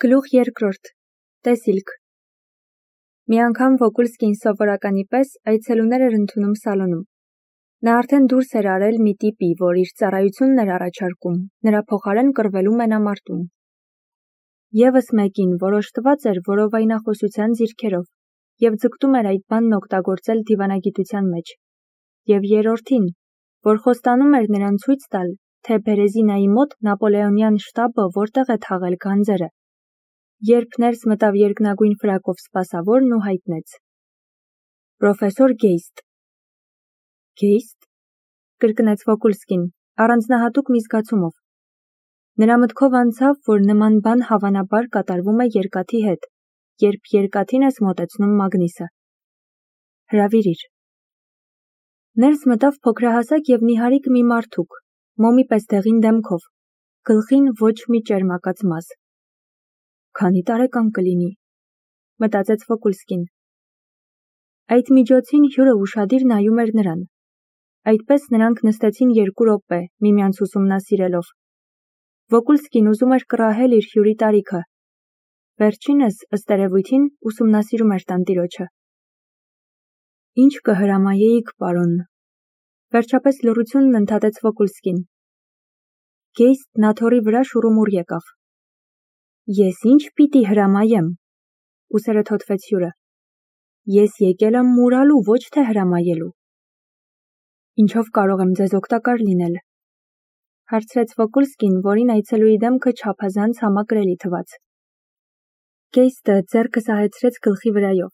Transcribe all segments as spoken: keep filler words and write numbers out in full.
Գլուխ երկրորդ. Տեսիլք։ Մի անգամ Վոկուլսկին սովորականի պես այցելուներ էր ընդունում սալոնում։ Նա արդեն դուրս էր արել մի տիպի, որ իր ծառայությունն էր առաջարկում, նրա փոխարեն կռվելու մենամարտում։ Եվս մեկին, որ օժտված էր որովայնախոսության ձիրքերով և ձգտում էր այդ բանն օգտագործել դիվանագիտության մեջ, և երրորդին, որ խոստանում էր նրան ցույց տալ, թե Բերեզինայի մոտ նապոլեոնյան շտաբը որտեղ է թաղել գանձերը, երբ ներս մտավ երկնագույն ֆրակով սպասավորն ու հայտնեց. «Պրոֆեսոր Գեյստ»։ «Գեյստ»։ կրկնեց Վոկուլսկին, առանձնահատուկ մի զգացումով։ Նրա մտքով անցավ, որ նման բան հավանաբար կատարվում է երկաթի հետ, երբ երկաթին ես մոտեցնում մագնիսը։ Հրավիրիր։ Ներս մտավ փոքրահասակ և նիհարիկ մի մարդուկ, մոմի պես դեղին դեմքով, գլխին ոչ մի ճերմակած մազ։ Քանի տարեկան կլինի, մտածեց Վոկուլսկին։ Այդ միջոցին հյուրը ուշադիր նայում էր նրան։ Այդպես նրանք նստեցին երկու րոպե, միմյանց ուսումնասիրելով։ Վոկուլսկին ուզում էր կռահել իր հյուրի տարիքը։ Վերջինս, ըստ երևույթին, ուսումնասիրում էր տանտիրոջը։ Ինչ կհրամայեիք, պարոն, վերջապես լռությունն ընդհատեց Վոկուլսկին։ Գեյստն աթոռի վրա շուռումուռ եկավ։ Ես ինչ պիտի հրամայեմ, ուսերը թոթվեց հյուրը։ Ես եկել եմ մուրալու, ոչ թե հրամայելու։ Ինչով կարող եմ ձեզ օգտակար լինել, հարցրեց Վոկուլսկին, որին այցելուի դեմքը չափազանց համակրելի թվաց։ Գեյստը ձեռքը սահեցրեց գլխի վրայով։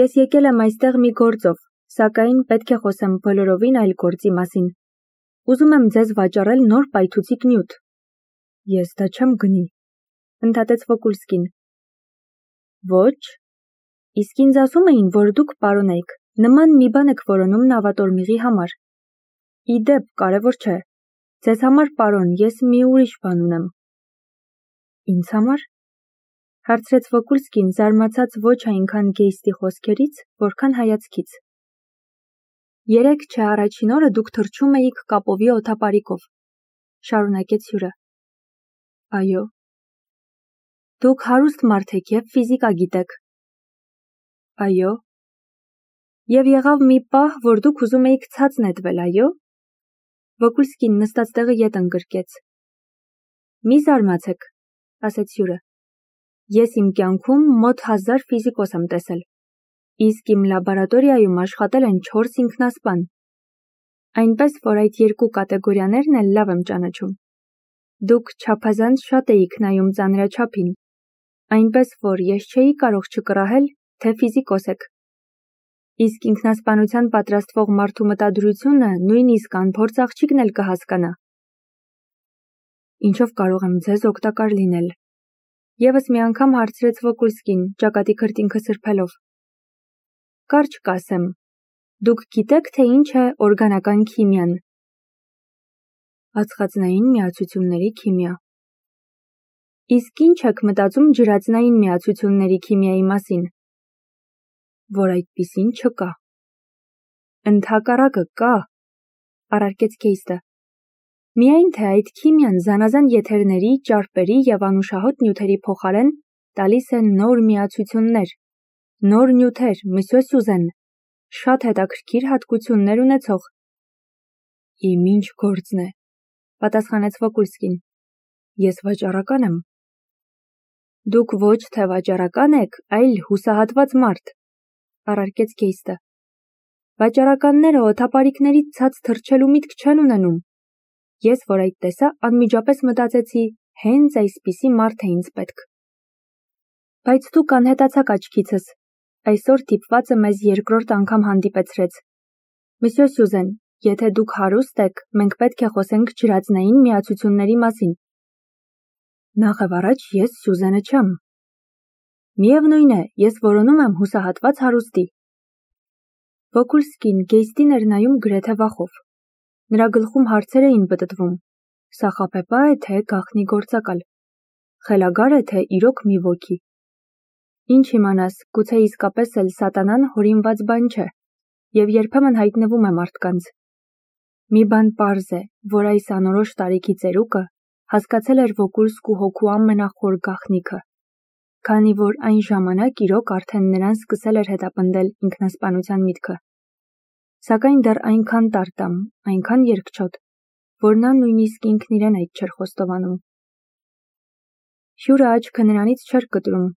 Ես եկել եմ այստեղ մի գործով, սակայն պետք է խոսեմ բոլորովին այլ գործի մասին։ Ուզում եմ ձեզ վաճառել նոր պայթուցիկ նյութ։ Ես դա չեմ գնի, ընդհատեց Վոկուլսկին։ Ոչ, իսկ ինձ ասում էին, որ դուք, պարոն եք, նման մի բան եք որոնում նավատորմիղի համար։ Ի դեպ, կարևոր չէ։ Ձեզ համար, պարոն, ես մի ուրիշ բան ունեմ։ Ինձ համար, հարցրեց Վոկուլսկին, զարմացած ոչ այնքան Գեյստի խոսքերից, որքան հայացքից։ Երեկ չէ առաջին օրը դուք թռչում էիք կապովի օդապարիկով, շարունակեց հյուրը։ Այո։ Դուք հարուստ մարդ եք և ֆիզիկա գիտեք։ Այո։ Եվ եղավ մի պահ, որ դուք ուզում էիք ցած նետվել, այո։ Վոկուլսկին նստած տեղը ետ ընկրկեց։ Մի զարմացեք, ասեց հյուրը։ Ես իմ կյանքում մոտ հազար ֆիզիկոս եմ տեսել, իսկ իմ լաբորատորիայում աշխատել են չորս ինքնասպան։ Այնպես, որ այդ երկու կատեգորիաներն էլ լավ եմ ճանաչում։ Դուք չափազանց շատ էիք նայում ծանրաչափին, այնպես, որ ես չէի կարող չկռահել, թե ֆիզիկոս եք։ Իսկ ինքնասպանության պատրաստվող մարդու մտադրությունը նույնիսկ անփորձ աղջիկն էլ կհասկանա։ Ինչով կարող եմ ձեզ օգտակար լինել։ Եվս մի անգամ հարցրեց Վոկուլսկին, ճակատի քրտինքը սրբելով։ Կարճ կասեմ, դուք գիտեք, թե ինչ է օրգանական քիմիան։ Ածխածնային միացությունների քիմիա։ Իսկ ինչ եք մտածում ջրածնային միացությունների քիմիայի մասին։ Որ այդպիսին չկա։ Ընդհակառակը կա, առարկեց Գեյստը։ Միայն թե այդ քիմիան զանազան եթերների, ճարպերի և անուշահոտ նյութերի փոխարեն տալիս է նոր միացություններ, նոր նյութեր, մսյո Սյուզեն, շատ հետաքրքիր հատկություններ ունեցող։ Իմ ինչ գործն է, պատասխանեց Վոկուլսկին։ Ես վաճառական եմ։ Դուք ոչ թե վաճառական եք, այլ հուսահատված մարդ, առարկեց Գեյստը։ Վաճառականները օդապարիկներից ցած թռչելու միտք չեն ունենում։ Ես, որ այդ տեսա, անմիջապես մտածեցի, հենց այսպիսի մարդ է ինձ պետք։ Բայց դուք անհետացաք աչքիցս, այսօր դիպվածը մեզ երկրորդ անգամ հանդիպեցրեց։ Մսյո Սյուզեն, եթե դուք հարուստ եք, մենք պետք է խոսենք ջրածնային միացությունների մասին։ Նախ առաջ ես Սյուզենը չեմ։ Միևնույն է, ես որոնում եմ հուսահատված հարուստի։ Վոկուլսկին Գեյստին էր նայում գրեթե վախով։ Նրա գլխում հարցեր էին պտտվում. Սա խաբեբա է, թե գաղտնի գործակալ։ Խելագար է, թե իրոք մի ոգի։ Ինչ իմանաս, գուցե իսկապես էլ սատանան հորինված բան չէ, և երբեմն հայտնվում է մարդկանց։ Մի բան պարզ է, որ այս անորոշ տարիքի ծերուկը Հասկացել էր Վոկուլսկու հոգու ամենախոր գաղտնիքը, քանի որ այն ժամանակ իրոք արդեն նրան սկսել էր հետապնդել ինքնասպանության միտքը։ Սակայն դեռ այնքան տարտամ, այնքան երկչոտ, որ նա նույնիսկ ինքն իրեն այդ չէր խոստովանում։ Հյուրը աչքը նրանից չէր կտրում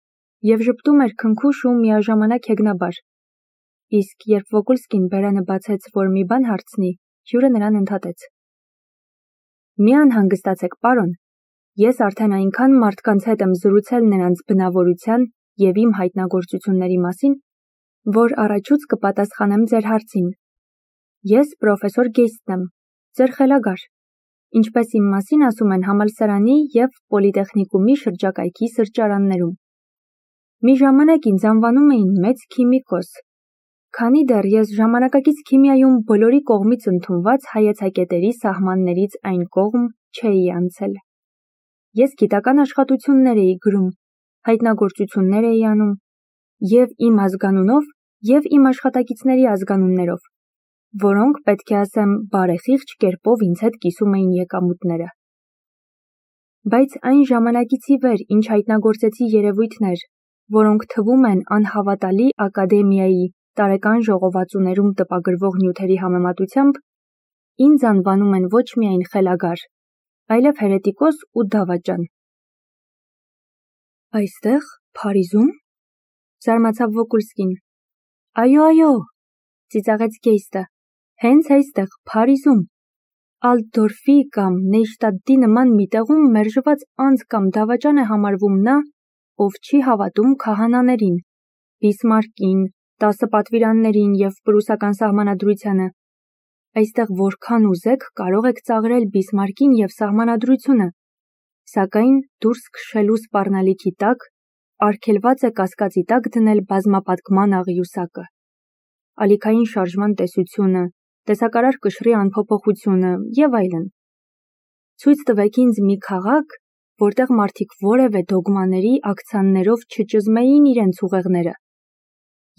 և ժպտում էր քնքուշ ու միաժամանակ հեգնաբար։ Իսկ երբ Վոկուլսկին բերանը բացեց, որ մի բան հարցնի, հյուրը նրան ընդհատեց. «Մի անհանգստացեք, պարոն, ես արդեն այնքան մարդկանց հետ եմ զրուցել նրանց բնավորության և իմ հայտնագործությունների մասին, որ առաջուց կպատասխանեմ ձեր հարցին։ Ես պրոֆեսոր Գեյստն եմ, ձեր խելագար, ինչպես իմ մասին ասում են համալսարանի և պոլիտեխնիկումի շրջակայքի սրճարաններում։ Մի ժամանակ ինձ անվանում էին մեծ քիմիկոս, քանի դեռ ես ժամանակակից քիմիայում բոլորի կողմից ընդունված հայեցակետերի սահմաններից այն կողմ չէի անցել։ Ես գիտական աշխատություններ էի գրում, հայտնագործություններ էի անում, և իմ ազգանունով, և իմ աշխատակիցների ազգանուններով, որոնք, պետք է ասեմ, բարեխիղճ կերպով ինձ հետ կիսում էին եկամուտները։ Բայց այն ժամանակից ի վեր, ինչ հայտնագործեցի երևույթներ, որոնք թվում են անհավատալի ակադեմիայի տարեկան ժողովածուներում տպագրվող նյութերի համեմատությամբ, ինձ անվանում են ոչ միայն խելագար, այլև հերետիկոս ու դավաճան»։ «Այստեղ, Փարիզում», զարմացավ Վոկուլսկին։ «Այո, այո», ծիծաղեց Գեյստը, «հենց այստեղ, Փարիզում, Ալտդորֆի կամ Նեյշտադտի նման մի տեղում մերժված անձ կամ դավաճան է համարվում նա, ով չի հավատում քահանաներին, Բիսմարկին, տասը պատվիրաններին և պրուսական սահմանադրությանը։ Այստեղ որքան ուզեք կարող եք ծաղրել Բիսմարկին և սահմանադրությունը, սակայն դուրս քշելու սպառնալիքի տակ արգելված է կասկածի տակ դնել բազմապատկման աղյուսակը, ալիքային շարժման տեսությունը, տեսակարար կշռի անփոփոխությունը և այլն։ Ցույց տվեք ինձ մի քաղաք, որտեղ մարդիկ որևէ դոգմաների աքցաններով չճզմեին իրենց ուղեղները,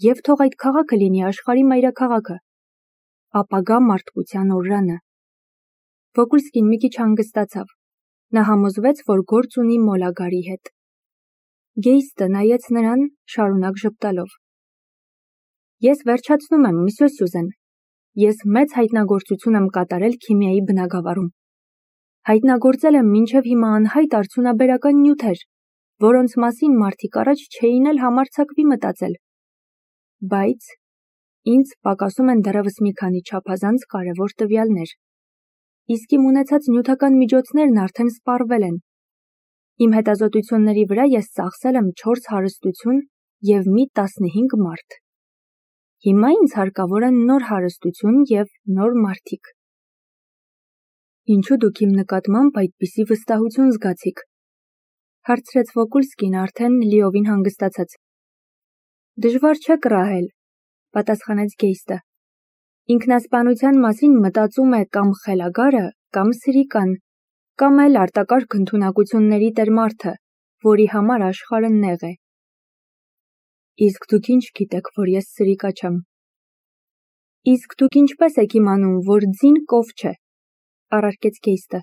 և թող այդ քաղաքը լինի աշխարհի մայրաքաղաքը, ապագա մարդկության օրրանը»։ Վոկուլսկին մի քիչ հանգստացավ, նա համոզվեց, որ գործ ունի մոլագարի հետ։ Գեյստը նայեց նրան, շարունակ ժպտալով. «Ես վերջացնում եմ, մսյո Սյուզեն, ես մեծ հայտնագործություն եմ կատարել քիմիայի բնագավառում։ Հայտնագործել եմ մինչև հիմա անհայտ արդյունաբերական նյութեր, որոնց մասին մարդիկ առաջ չէին էլ համարձակվի մտածել։ Բայց ինձ պակասում են դեռևս մի քանի չափազանց կարևոր տվյալներ, իսկ իմ ունեցած նյութական միջոցներն արդեն սպառվել են։ Իմ հետազոտությունների վրա ես ծախսել եմ չորս հարստություն և մի տասնհինգ մարդ։ Հիմա ինձ հարկավոր են նոր հարստություն և նոր մարդիկ»։ «Ինչու դուք իմ նկատմամբ այդպիսի վստահություն զգացիք», հարցրեց Վոկուլսկին արդեն լիովին հանգստացած։ «Դժվար չէ կռահել», պատասխանեց Գեյստը։ «Ինքնասպանության մասին մտածում է կամ խելագարը, կամ սրիկան, կամ էլ արտակարգ ընդունակությունների տեր մարդը, որի համար աշխարհը նեղ է»։ «Իսկ դուք ինչ գիտեք, որ ես սրիկա չեմ»։ «Իսկ դուք ինչպես եք իմանում, որ ձին կով չէ», առարկեց Գեյստը։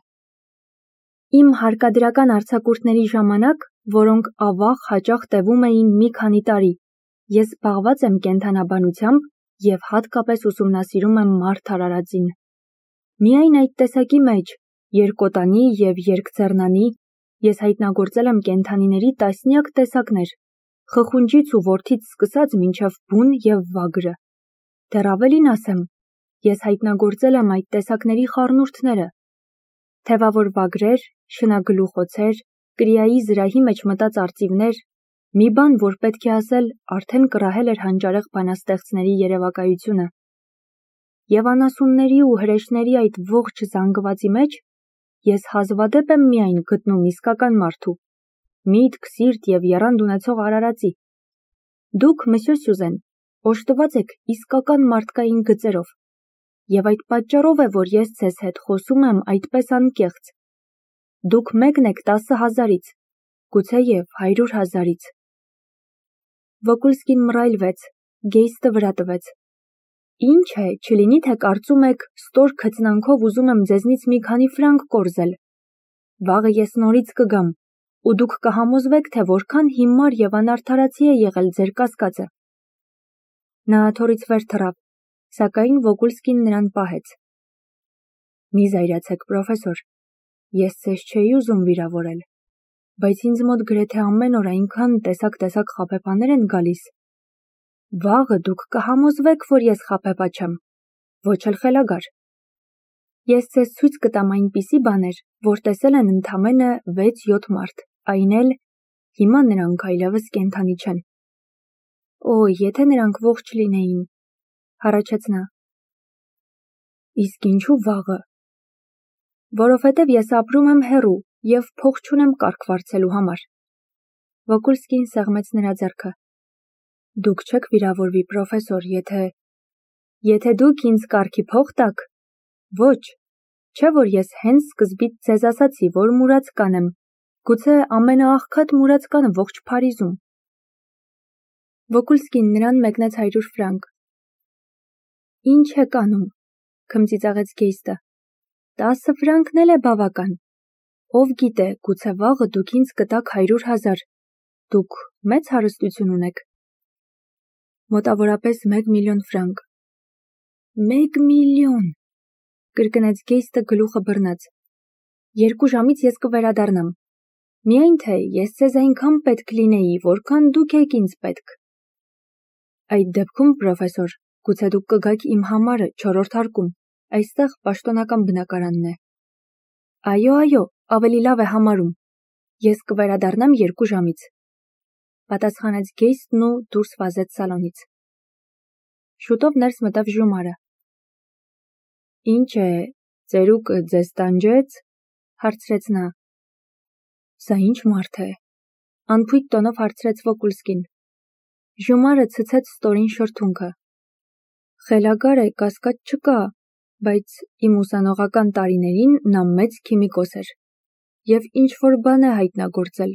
«Իմ հարկադրական արձակուրդների ժամանակ, որոնք ավաղ հաճախ տևում էին մի քանի տարի, ես զբաղված եմ կենդանաբանությամբ և հատկապես ուսումնասիրում եմ մարդ արարածին։ Միայն այդ տեսակի մեջ, երկոտանի և երկձեռնանի, ես հայտնագործել եմ կենդանիների տասնյակ տեսակներ, խխունջից ու որդից սկսած մինչև բուն և վագրը։ Դեռ ավելին ասեմ, ես հայտնագործել եմ այդ տեսակների խառնուրդները, թևավոր վագրեր, շնագլուխոցեր, կրիայի զրահի մեջ մտած արծիվներ, մի բան, որ պետք է ասել, արդեն կռահել էր հանճարեղ բանաստեղծների երևակայությունը։ Եվ անասունների ու հրեշների այդ ողջ զանգվածի մեջ ես հազվադեպ եմ միայն գտնում իսկական մարդու, միտք, սիրտ և եռանդ ունեցող արարածի։ Դուք, մսյո Սյուզեն, օժտված եք իսկական մարդկային գծերով, և այդ պատճառով է, որ ես ձեզ հետ խոսում եմ այդպես անկեղծ։ Դուք մեկն եք տասը հազարից, գուցեև հարյուր հազարից»։ Վոկուլսկին մռայլվեց, Գեյստը վրա տվեց. «Ինչ է, չլինի թե կարծում եք, ստոր քծնանքով ուզում եմ ձեզնից մի քանի ֆրանկ կորզել։ Վաղը ես նորից կգամ, ու դուք կհամոզվեք, թե որքան հիմար եւ անարդարացի է եղել ձեր կասկածը։ Նա աթոռից վեր թռավ, սակայն Վոգուլսկին նրան պահեց։ Մի զայրացեք, պրոֆեսոր, ես ձեզ չէի ուզում վիրավորել, բայց ինձ մոտ գրեթե ամեն օր այնքան տեսակ-տեսակ խաբեբաներ են գալիս։ Վաղը դուք կհամոզվեք, որ ես խաբեբա չեմ, ոչ էլ խելագար։ Ես ձեզ ցույց կտամ այնպիսի բաներ, որ տեսել են ընդամենը վեց-յոթ մարդ, այն էլ հիմա նրանք այլևս կենդանի չեն։ Օ, եթե նրանք ողջ լինեին, հառաչեց նա։ Իսկ ինչու վաղը։ Որովհետև ես ապրում եմ հեռու եւ փող չունեմ կարգ վարձելու համար։ Վոգուլսկին սեղմեց նրա ձեռքը։ Դուք չեք վիրավորվի, պրոֆեսոր, եթե… Եթե դուք ինձ կարգի փող տաք, ոչ, չէ որ ես հենց սկզբից ձեզ ասացի, որ մուրացկան եմ, գուցե ամենաաղքատ մուրացկանը ողջ Փարիզում։ Վոգուլսկին նրան մեկնեց հարյուր ֆրանկ։ Ինչ եք անում, քմծիծաղեց Գեյստը։ Տասը ֆրանկն էլ է բավական։ Ով գիտե, գուցե վաղը դուք ինձ կտաք հարյուր հազար։ Դուք մեծ հարստություն ունեք։ Մոտավորապես մեկ միլիոն ֆրանկ։ Մեկ միլիոն, կրկնեց Գեյստը գլուխը բռնած։ Երկու ժամից ես կվերադառնամ։ Միայն թե ես ձեզ այնքան պետք լինեի, որքան դուք եք ինձ պետք։ Այդ դեպքում, պրոֆեսոր, գուցե դուք կգաք իմ համարը չորրորդ հարկում, այստեղ պաշտոնական բնակարանն է։ Այո, այո, ավելի լավ է համարում։ Ես կվերադառնամ երկու ժամից։ Պատասխանեց Գեյստն ու դուրս վազեց սալոնից։ Շուտով ներս մտավ Ժումարը։ Ինչ է, ծերուկը ձեզ տանջեց, հարցրեց նա։ Սա ինչ մարդ է, անփույթ տոնով հարցրեց Վոգուլսկին։ Ժումարը ցցեց ստորին շրթունքը։ Խելագար է, կասկած չկա, բայց իմ ուսանողական տարիներին նա մեծ քիմիկոս էր եւ ինչ որ բան է հայտնագործել։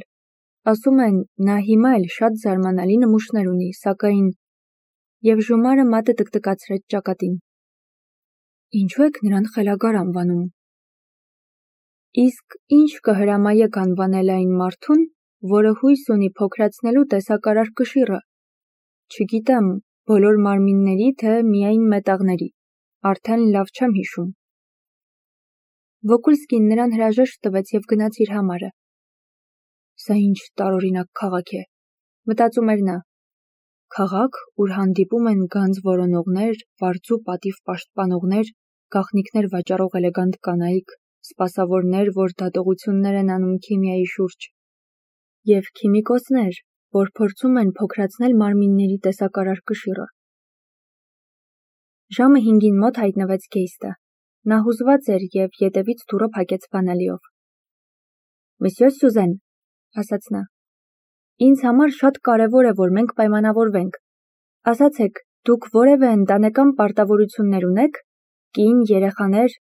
Ասում են, նա հիմա էլ շատ զարմանալի նմուշներ ունի, սակայն… Եվ Ժումարը մատը տկտկացրեց ճակատին։ Ինչու եք նրան խելագար անվանում։ Իսկ ինչ կհրամայեք անվանել այն մարդուն, որը հույս ունի փոքրացնելու տեսակարար կշիռը։ Չգիտեմ, բոլոր մարմինների, թե միայն մետաղների, արդեն լավ չեմ հիշում։ Վոգուլսկին նրան հրաժեշտ տվեց եւ գնաց իր համարը։ Սա ինչ տարօրինակ քաղաք է, մտածում էր նա։ Քաղաք, ուր հանդիպում են գանձ որոնողներ, վարձու պատիվ պաշտպանողներ, գաղտնիքներ վաճառող էլեգանտ կանայք, սպասավորներ, որ դատողություններ են անում քիմիայի շուրջ, եւ քիմիկոսներ, որ փորձում են փոքրացնել մարմինների տեսակարար կշիռը։ Ժամը հինգին մոտ հայտնվեց Գեյստը։ Նա հուզված էր եւ ետևից դուռը փակեց բանալիով։ Մսյո Սյուզեն, ասաց նա, ինձ համար շատ կարևոր է, որ մենք պայմանավորվենք։ Ասացեք, դուք որևէ ընտանեկան պարտավորություններ ունեք, կին, երեխաներ,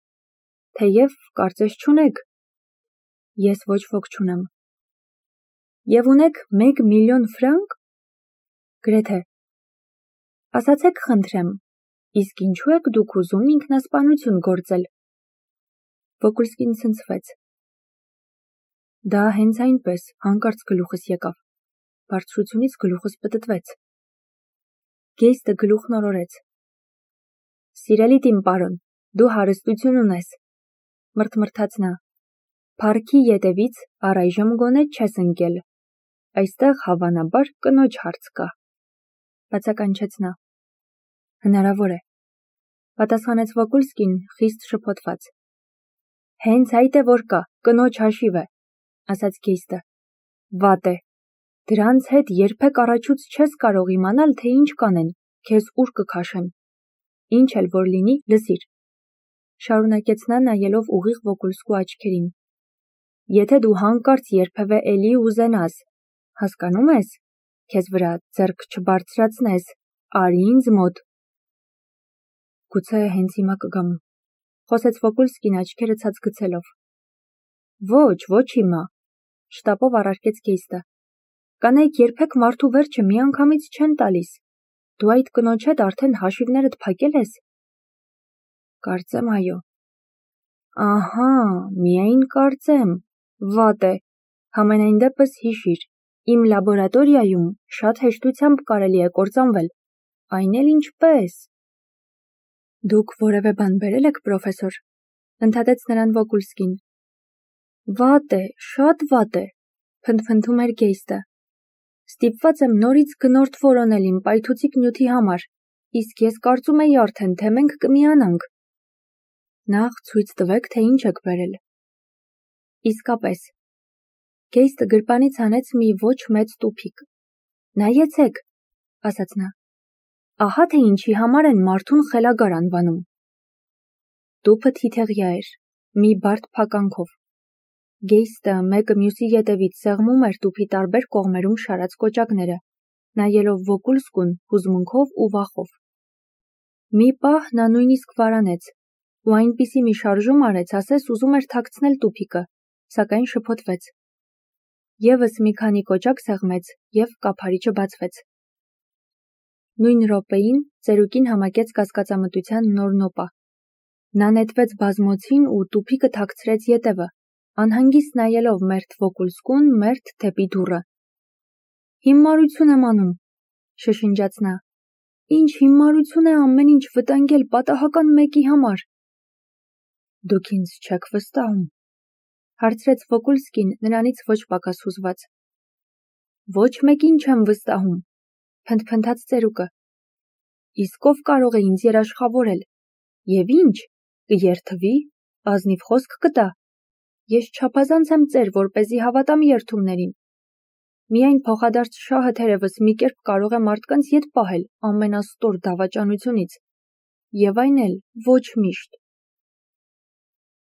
թեև կարծես չունեք։ Ես ոչ ոք չունեմ։ Եվ ունեք մեկ միլիոն ֆրանկ։ Գրեթե։ Ասացեք, խնդրեմ, իսկ ինչու եք դուք ուզում ինքնասպանություն գործել։ Վոգուլսկին ցնցվեց։ Դա հենց այնպես, հանկարծ գլուխս եկավ։ Բարձրությունից գլուխս պտտվեց։ Գեյստը գլուխն օրորեց։ Սիրելի տին պարոն, դու հարստություն ունես, մրթմրթաց նա։ Փառքի ետևից առայժմ գոնե չես ընկել։ Այստեղ հավանաբար կնոջ հարց կա, բացականչեց նա։ Հնարավոր է, պատասխանեց Վոգուլսկին խիստ շփոթված։ Հենց այդ է որ կա, կնոջ հաշիվ է, ասաց Գեյստը։ Վատ է։ Դրանց հետ երբեք առաջուց չես կարող իմանալ, թե ինչ կանեն, քեզ ուր կքաշեն։ Ինչ էլ որ լինի, լսիր։ Շարունակեց նա նայելով ուղիղ Վոգուլսկու աչքերին։ Եթե դու հանկարծ երբևէ էլի ուզենաս, հասկանում ես, քեզ վրա ձեռք չբարձրացնես, արի ինձ մոտ։ Գուցե հենց հիմա կգամ, խոսեց Վոգուլսկին աչքերը ցած գցելով։ Ոչ, ոչ հիմա, շտապով առարկեց Գեյստը։ Կանայք երբեք մարդու վերջը միանգամից չեն տալիս։ Դու այդ կնոջ հետ արդեն հաշիվներդ փակել ես։ Կարծեմ այո։ Ահա, միայն կարծեմ, Վատ է, համենայն դեպս հիշիր, իմ լաբորատորիայում շատ հեշտությամբ կարելի է կործանվել, այն էլ ինչպես։ Դուք որևէ բան բերել եք, պրոֆեսոր, ընդհատեց նրան Վոկուլսկին։ Վատ է, շատ վատ է, փնթփնթում էր Գեյստը։ Ստիպված եմ նորից գնորդ որոնել իմ պայթուցիկ նյութի համար, իսկ ես կարծում էի արդեն, թե մենք կմիանանք։ Նախ ցույց տվեք, թե ինչ եք բերել։ Իսկապես։ Գեյստը գրպանից հանեց մի ոչ մեծ տուփիկ։ Նայեցեք, ասաց նա։ Ահա թե ինչի համար են մարդուն խելագար անվանում։ Տուփը թիթեղյա էր, մի բարդ փականքով։ Գեյստը մեկը մյուսի ետևից սեղմում էր տուփի տարբեր կողմերում շարած կոճակները, նայելով Վոկուլսկուն հուզմունքով ու վախով։ Մի պահ նա նույնիսկ վարանեց, ու այնպիսի մի շարժում արեց, ասես ուզում էր թաքցնել տուփիկը, սակայն շփոթվեց։ Եվս մի քանի կոճակ սեղմեց, և կափարիչը բացվեց։ Նույն րոպեին ծերուկին համակեց կասկածամտության նոր նոպա։ Նա նետվեց բազմոցին ու տուփիկը թաքցրեց ետևը, անհանգիստ նայելով մերթ Վոկուլսկուն, մերթ դեպի դուռը։ Հիմարություն եմ անում, շշնջաց նա։ Ինչ հիմարություն է ամեն ինչ վտանգել պատահական մեկի համար։ Դուք ինձ չեք վստահում, հարցրեց Վոկուլսկին նրանից ոչ պակաս հուզված։ Ոչ մեկին չեմ վստահում, փնթփնթաց ծերուկը։ Իսկ ով կարող է ինձ երաշխավորել։ Եվ ինչ, կերթվի, ազնիվ խոսք կտա։ Ես չափազանց եմ ծեր, որպեսզի հավատամ երդումներին։ Միայն փոխադարձ շահը թերևս մի կերպ կարող է մարդկանց ետ պահել ամենաստոր դավաճանությունից, և այն էլ ոչ միշտ։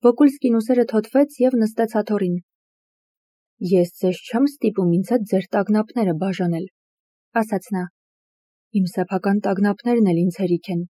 Վոկուլսկին ուսերը թոթվեց և նստեց աթոռին։ Ես ձեզ չեմ ստիպում ինձ հետ ձեր տագնապները բաժանել, ասաց նա։ Իմ սեփական տագնապներն էլ ինձ հերիք են։